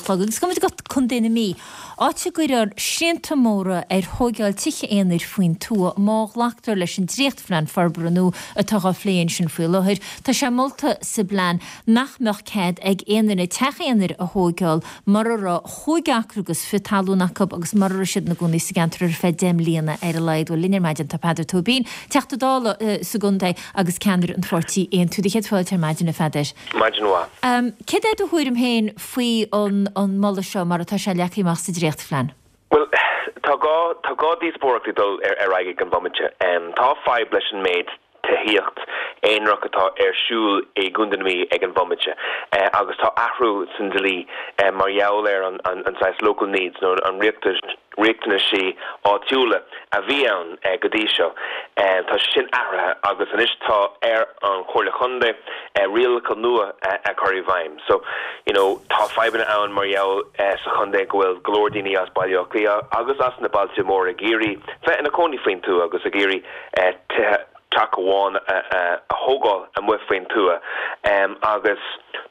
chlog. Agus gabhfaimid go Contae na Mí, áit a gcuirfear srianta móra ar thóigeáil tithe aonair faoin tuath má ghlactar leis an dréachtphlean forbartha nua atá á phlé ansin faoi láthair. Tá sé molta sa bplean nach mbeadh cead ag aon duine teach aonair a thóigeáil mura raibh chúig acra agus fi talún acu agus mura raibh siad ina gcónaí sa gceantar ar feadh 10 mbliana ar a laghad. Bhuel, linn ar maidin tá Peadar Tóibín, Teachta Dála sa gcontae agus ceannaire an pháirtí Aontú. Do chéad fáilte ar maidin, a Pheadair. Maidin mhaith. Céard é do thuairim féin faoi an moladh seo mar atá sé leagtha amach sa dréachtphlean? Bhuel, tá dhá, tá dhá díospóireacht ag dul ar aghaidh ag an bhomaite. Tá fadhb leis an méid tithíocht aonarach atá ar siúl i gContae na Mí ag an bhomaite agus tá athrú san dlí mar gheall ar an saghas local needs nó an riachtanaisí áitiúla a bhí ann go dtí seo. Tá sé sin athraithe agus anois tá ar an Chomhairle Chontae rialacha nua a chur i bhfeidhm. So, you know, tá fadhbanna ann mar gheall sa chontae go bhfuil go leor daoine as Baile Átha Cliath agus as na bailte móra ag iarraidh bheith ina cónaí faoin tuath agus ag iarraidh tithe, teach amháin a thógáil amuigh faoin tuath. Agus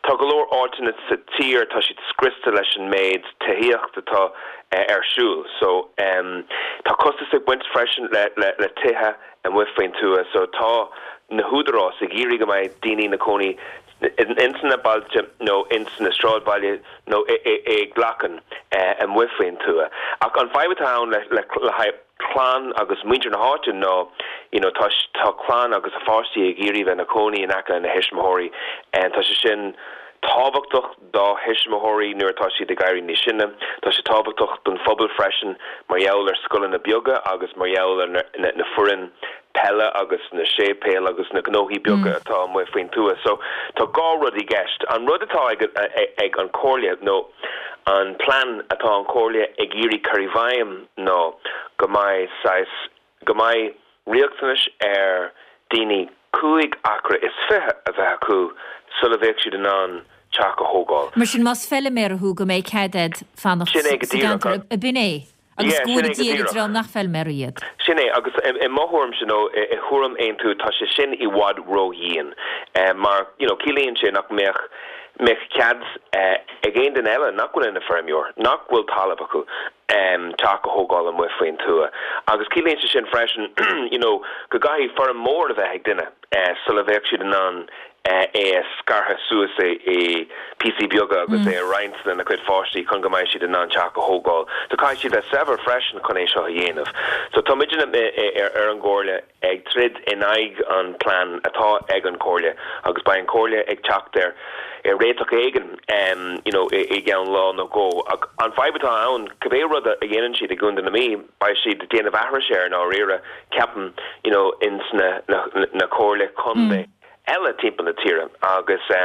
tá go leor áiteanna sa tír, tá siad scriosta leis an méid tithíocht atá ar siúl. So, tá costas ag baint freisin le tithe amuigh faoin tuath. So, tá na húdaráis ag iarraidh go mbeidh daoine ina cónaí ins na bailte nó ins na sráidbhaile nó i gclachain amuigh faoin tuath. Ach an fadhb atá ann le haghaidh clann agus muintir na háite ná you know tá tá clann agus a pháistí ag iarraidh bheith ina cónaí in aice lena thuismitheoirí. Tá sé sin tábhachtach dá thuismitheoirí nuair atá siad ag éirí níos sine. Tá sé tábhachtach don phobal freisin mar gheall ar scoileanna beaga agus mar gheall ar na foireann peile agus na séipéil agus na gnóthaí beaga atá amuigh faoin tuath. So tá dhá rud i gceist. An rud atá ag ag an Chomhairle nó an plean atá an Chomhairle ag iarraidh cur i bhfeidhm ná go mbeidh saghas, go mbeidh riachtanais ar daoine 25 acra a bheith acu sula bheadh siad in ann teach a thógáil. Mar sin, más feiliméara thú, go mbeidh cead agat fanacht Sin é sa go díreach. gceantar, ab in é? Agus Yeah, go sin é bhfóire go Dia ar an díreach. dream nach feilméaraí iad. Sin é, agus i mo thuairimse, nó i thuairim Aontú, tá sé sin i bhfad ró-dhian. Mar, you know, ciallaíonn sé nach mbeadh, mbeadh cead ag aon duine eile nach bhfuil ina feirmeoir, nach bhfuil talamh acu, teach a thógáil amuigh faoin tuath. Agus ciallaíonn sé sin freisin, you know, go gcaithfidh feirm mór a bheith ag duine sula bheadh siad in ann é a scartha suas i píosaí beaga agus é a roinnt lena cuid pháistí chun go mbeidh siad in ann teach a thógáil. So caithfidh siad bheith saibhir freisin chun é seo a dhéanamh. So tá muidne ar an gComhairle ag troid in aghaidh an plean atá ag an Chomhairle agus beidh an Chomhairle ag teacht ar réiteach éigin you know i gceann lá nó dhó. Ach an fadhb atá ann, cibé rud a dhéanann siad i gContae na Mí, beidh siad ag déanamh aithris air i ndáiríre, ceapaim, you know ins na na comhairle contae eile timpeall na tíre. Agus tá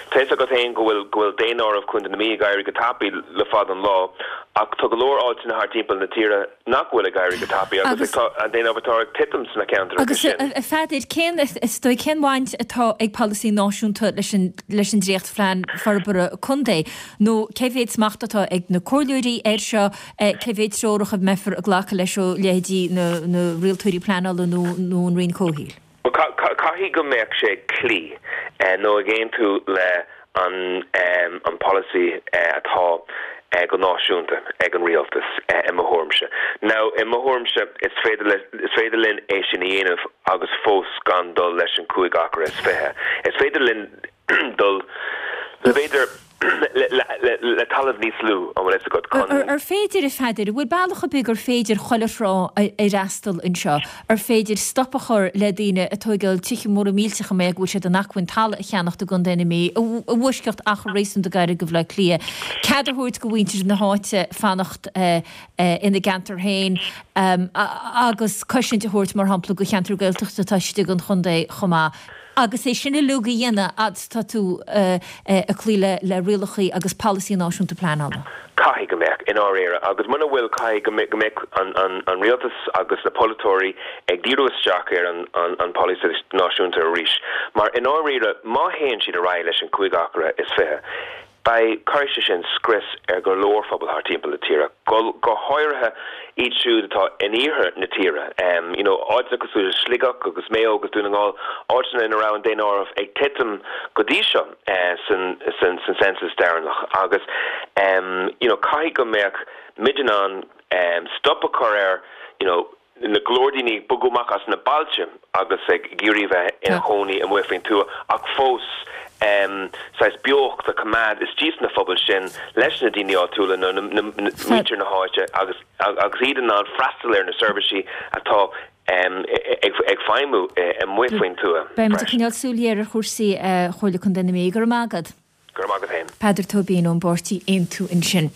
fhios agat féin go bhfuil go bhfuil daonáireamh Chontae na Mí ag éirí go tapaidh le fada an lá ach tá go leor áiteanna thart timpeall na tíre nach bhfuil ag éirí go tapaidh agus tá an daonáireamh atá ag titim sna ceantracha Agus sin. a Pheadair, cén is dóigh cén bhaint atá ag polasaí náisiúnta leis an leis an dréachtphlean forbartha contae nó cé mhéad smacht atá ag na comhairleoirí air seo Cé mhéad treorach a mbeifear ag glacadh leis ó leithéidí na rialtóirí pleanála nó an Roinn Comhshaoil? Bhuel, caithfidh go mbeadh sé ag cloí nó ag aontú le an polasaí atá go náisiúnta ag an rialtas, i mo thuairimse. Now, i mo thuairimse, is féidir le, is féidir linn é sin a dhéanamh agus fós gan dul leis an 25 acra. Is féidir linn dul le, b'fhéidir, le talamh níos lú, an bhfuil fhios agat, chun. Ar féidir, a Pheadair, an bhfuil bealach ar bith gur féidir chuile thrá a fhreastal anseo? Ar féidir stop a chur le daoine ag tóigeáil tithe móra millteacha mar go bhfuil siad in acmhainn talamh a cheannacht i gContae na Mí, i bhfoisceacht achar réasúnta gairid go Bhaile Átha Cliath, cead a thabhairt go mhuintir na háite fanacht ina gceantar féin agus cosaint a thabhairt, mar shampla, go cheantar Gaeltachta atá istigh den chontae chomh maith? Agus é sin uilig a dhéanamh fhad is atá tú ag cloí le rialacha agus polasaí náisiúnta pleanála. Caithfidh go mbeadh, i ndáiríre. Agus muna bhfuil, caithfidh go mbeadh an rialtas agus na polaiteoirí ag díriú isteach ar an polasaí náisiúnta arís. Mar i ndáiríre, má théann siad ar aghaidh leis an 25 acra, Beidh, cuirfidh sé sin scrios ar go leor phobal thart timpeall na tíre, go go háirithe iad siúd atá in iarthar na tíre. You know, áiteanna cosúil le Sligeach agus Maigh Eo agus Dún na nGall, áiteanna ina raibh an daonáireamh ag titim go dtí seo san san san census deireanach agus you know, caithfidh go mbeadh muid in ann stop a chur ar you know, na go leor daoine ag bogadh amach as na bailte agus ag iarraidh bheith ina chónaí amuigh faoin tuath ach fós saghas beocht a choimeád istigh sna phobail sin leis na daoine áitiúla nó muintir na háite agus agus iad in ann freastal ar na seirbhísí atá ag feidhmiú amuigh faoin tuath Beidh muid ag coinneáil súil ghéar ar chúrsaí Chomhairle Contae na Mí. Go raibh maith agat. Go raibh maith agat féin. Peadar Tóibín ón bpáirtí Aontú ansin.